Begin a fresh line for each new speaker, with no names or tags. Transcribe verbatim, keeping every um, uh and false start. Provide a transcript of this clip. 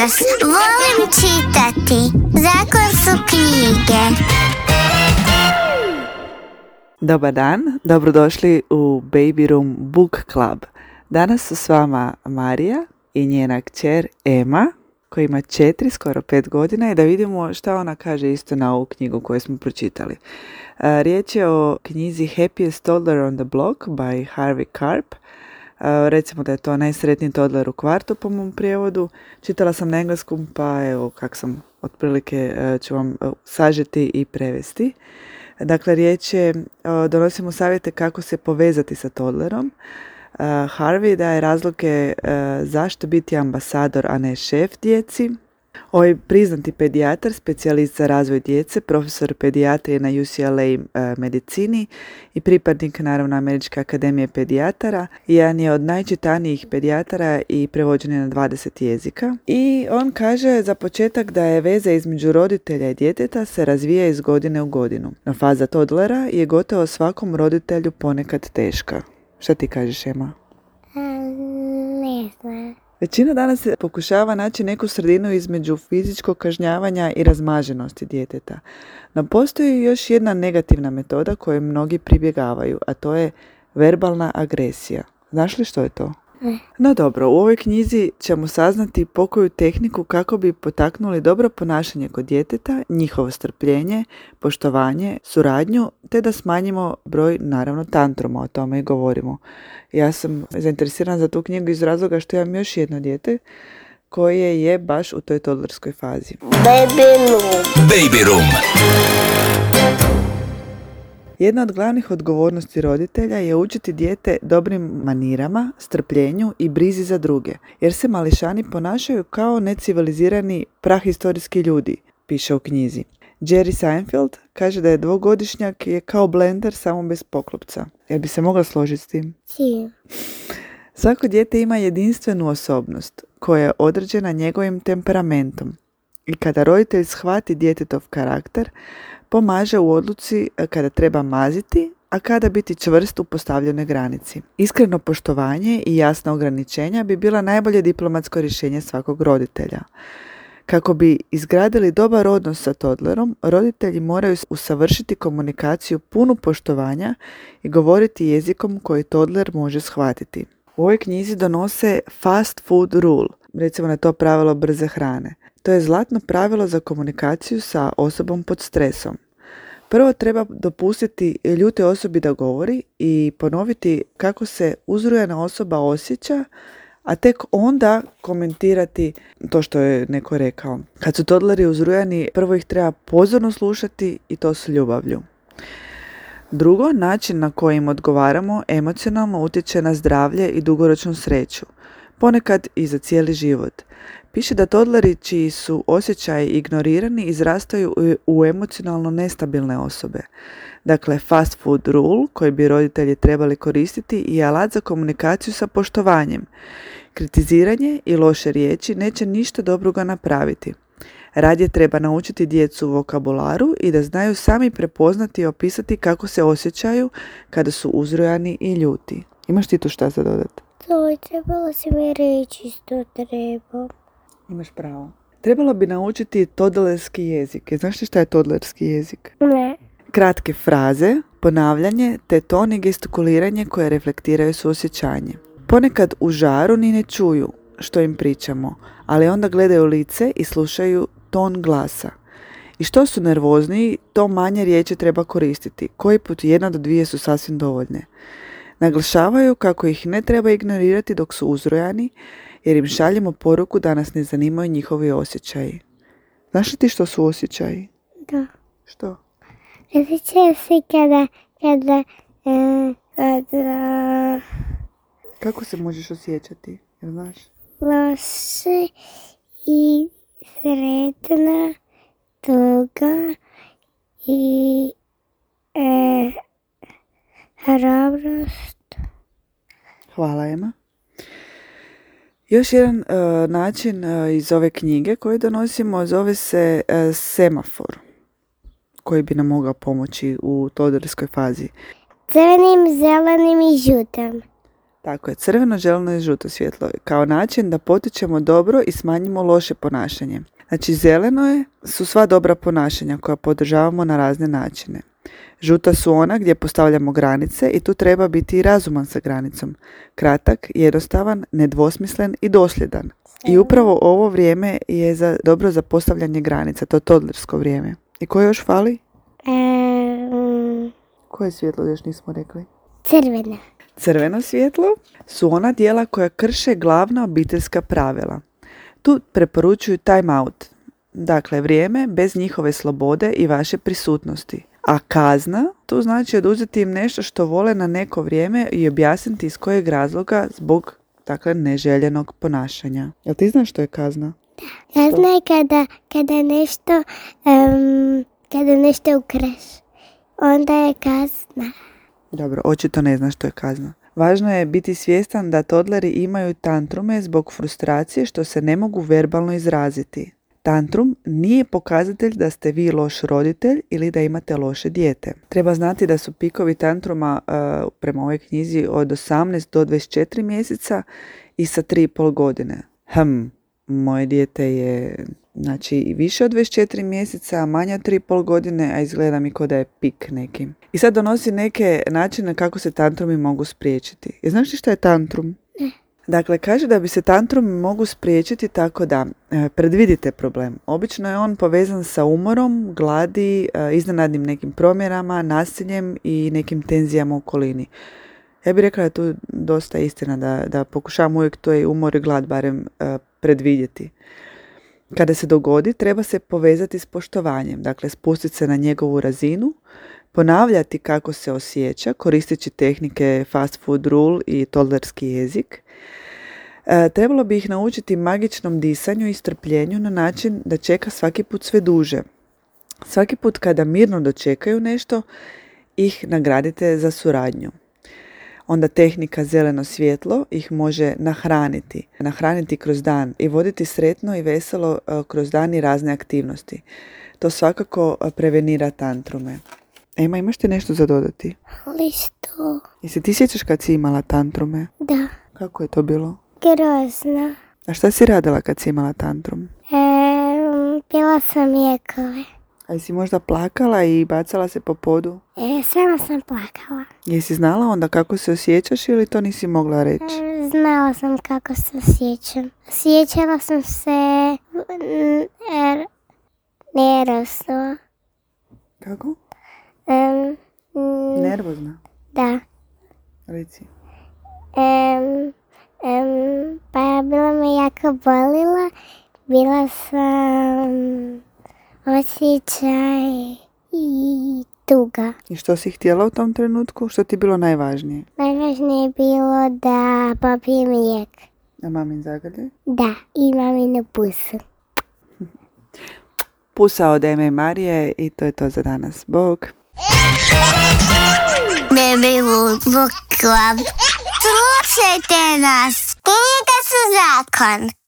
Pozdrav! Volim čitati. Zakon su knjige.
Dobar dan, dobrodošli u Baby Room Book Club. Danas su s vama Marija i njena kćer Ema, koja ima četiri, skoro pet godina, i da vidimo šta ona kaže isto na ovu knjigu koju smo pročitali. Riječ je o knjizi Happiest Toddler on the Block by Harvey Karp. Recimo da je to najsretniji toddler u kvartu po mom prijevodu. Čitala sam na engleskom, pa evo kak sam otprilike ću vam sažeti i prevesti. Dakle, riječ je, donosimo savjete kako se povezati sa toddlerom. Harvey daje razloge zašto biti ambasador, a ne šef djeci. Ovaj priznati pedijatar, specijalist za razvoj djece, profesor pedijatrije na U C L A medicini i pripadnik naravno Američke akademije pedijatara. Jedan je od najčitanijih pedijatara i prevođen je na dvadeset jezika. I on kaže za početak da je veza između roditelja i djeteta se razvija iz godine u godinu. No faza toddlera je gotovo svakom roditelju ponekad teška. Šta ti kažeš, Ema?
Ne znam.
Većina danas se pokušava naći neku sredinu između fizičkog kažnjavanja i razmaženosti djeteta. No postoji još jedna negativna metoda koju mnogi pribjegavaju, a to je verbalna agresija. Znaš li što je to?
Ne.
No dobro, u ovoj knjizi ćemo saznati pokoju tehniku kako bi potaknuli dobro ponašanje kod djeteta, njihovo strpljenje, poštovanje, suradnju, te da smanjimo broj, naravno, tantruma, o tome i govorimo. Ja sam zainteresirana za tu knjigu iz razloga što imam još jedno dijete koje je baš u toj toddlerskoj fazi.
Baby Room.
Baby Room.
Jedna od glavnih odgovornosti roditelja je učiti dijete dobrim manirama, strpljenju i brizi za druge, jer se mališani ponašaju kao necivilizirani prahistorijski ljudi, piše u knjizi. Jerry Seinfeld kaže da je dvogodišnjak je kao blender samo bez poklopca. Jel bi se mogla složiti s tim?
Si.
Svako dijete ima jedinstvenu osobnost koja je određena njegovim temperamentom. I kada roditelj shvati djetetov karakter, pomaže u odluci kada treba maziti, a kada biti čvrst u postavljenoj granici. Iskreno poštovanje i jasna ograničenja bi bila najbolje diplomatsko rješenje svakog roditelja. Kako bi izgradili dobar odnos sa toddlerom, roditelji moraju usavršiti komunikaciju punu poštovanja i govoriti jezikom koji toddler može shvatiti. U ovoj knjizi donose fast food rule, recimo na to pravilo brze hrane. To je zlatno pravilo za komunikaciju sa osobom pod stresom. Prvo treba dopustiti ljutoj osobi da govori i ponoviti kako se uzrujana osoba osjeća, a tek onda komentirati to što je neko rekao. Kad su toddleri uzrujani, prvo ih treba pozorno slušati i to s ljubavlju. Drugo, način na koji im odgovaramo emocionalno utječe na zdravlje i dugoročnu sreću, ponekad i za cijeli život. Piše da toddleri čiji su osjećaji ignorirani izrastaju u emocionalno nestabilne osobe. Dakle, fast food rule koji bi roditelji trebali koristiti je alat za komunikaciju sa poštovanjem. Kritiziranje i loše riječi neće ništa dobroga napraviti. Radije treba naučiti djecu vokabularu i da znaju sami prepoznati i opisati kako se osjećaju kada su uzrujani i ljuti. Imaš ti tu šta za dodati?
To je trebalo si mi reći što treba.
Imaš pravo. Trebalo bi naučiti toddlerski jezik. Znaš li šta je toddlerski jezik?
Ne.
Kratke fraze, ponavljanje te ton i gestikuliranje koje reflektiraju suosjećanje. Ponekad u žaru ni ne čuju što im pričamo, ali onda gledaju lice i slušaju ton glasa. I što su nervozniji, to manje riječi treba koristiti. Koji put jedna do dvije su sasvim dovoljne. Naglašavaju kako ih ne treba ignorirati dok su uzrojani, jer im šaljemo poruku da nas ne zanimaju njihovi osjećaji. Znaš li ti što su osjećaji?
Da.
Što?
Osjećaju se kada, kada, e, kada...
Kako se možeš osjećati? Jel znaš?
Loše i sretna, tuga i e, hrabrost.
Hvala, Ema. Još jedan uh, način uh, iz ove knjige koji donosimo zove se uh, semafor, koji bi nam mogao pomoći u toddlerskoj fazi.
Crvenim, zelenim i žutim.
Tako je, crveno, zeleno i žuto svjetlo kao način da potičemo dobro i smanjimo loše ponašanje. Znači zeleno je, su sva dobra ponašanja koja podržavamo na razne načine. Žuta su ona gdje postavljamo granice i tu treba biti i razuman sa granicom. Kratak, jednostavan, nedvosmislen i dosljedan. I upravo ovo vrijeme je za, dobro za postavljanje granica, to toddlersko vrijeme. I koje još fali?
Um,
Koje svjetlo još nismo rekli?
crvena.
Crveno svjetlo su ona dijela koja krše glavna obiteljska pravila. Tu preporučuju time out, dakle vrijeme bez njihove slobode i vaše prisutnosti. A kazna, tu znači oduzeti im nešto što vole na neko vrijeme i objasniti iz kojeg razloga zbog dakle neželjenog ponašanja. Jel ti znaš što je kazna?
Kazna je kada, kada nešto, um, kada nešto ukraš. Onda je kazna.
Dobro, očito ne znaš što je kazna. Važno je biti svjestan da toddleri imaju tantrume zbog frustracije što se ne mogu verbalno izraziti. Tantrum nije pokazatelj da ste vi loš roditelj ili da imate loše dijete. Treba znati da su pikovi tantruma uh, prema ovoj knjizi od osamnaest do dvadeset četiri mjeseca i sa tri i pol godine. Hm, moje dijete je znači više od dvadeset četiri mjeseca, a manje od tri i pol godine, a izgleda mi kao da je pik neki. I sad donosi neke načine kako se tantrumi mogu spriječiti. I znaš li šta je tantrum?
Ne.
Dakle, kaže da bi se tantrumi mogu spriječiti tako da e, predvidite problem. Obično je on povezan sa umorom, gladi, e, iznenadnim nekim promjerama, nasiljem i nekim tenzijama u okolini. Ja bih rekla da je tu dosta istina, da, da pokušavam uvijek to je umor i glad barem e, predvidjeti. Kada se dogodi, treba se povezati s poštovanjem, dakle spustiti se na njegovu razinu, ponavljati kako se osjeća, koristeći tehnike fast food rule i toddlerski jezik. E, trebalo bi ih naučiti magičnom disanju i strpljenju na način da čeka svaki put sve duže. Svaki put kada mirno dočekaju nešto, ih nagradite za suradnju. Onda tehnika zeleno svjetlo ih može nahraniti. Nahraniti kroz dan i voditi sretno i veselo kroz dan i razne aktivnosti. To svakako prevenira tantrume. Ema, imaš ti nešto za dodati?
Ali što?
Jesi ti sjećaš kad si imala tantrume?
Da.
Kako je to bilo?
Grozno.
A šta si radila kad si imala tantrum?
Um, pila sam lijekove.
A jesi možda plakala i bacala se po podu?
E, sama sam plakala.
Jesi znala onda kako se osjećaš ili to nisi mogla reći?
E, znala sam kako se osjećam. Osjećala sam se er, nervozno.
Kako?
Um, mm,
Nervozna?
da.
Reci.
Um, um, pa bila me jako bolila. Bila sam osjećaj i tuga.
I što si htjela u tom trenutku? Što ti je bilo najvažnije?
Najvažnije je bilo da popijem lijek.
A mamin zagrljaj?
Da, i maminu pusu.
Pusa od Eme i Marije i to je to za danas. Bog!
Baby Book Club. Slušajte nas. Knjige su zakon.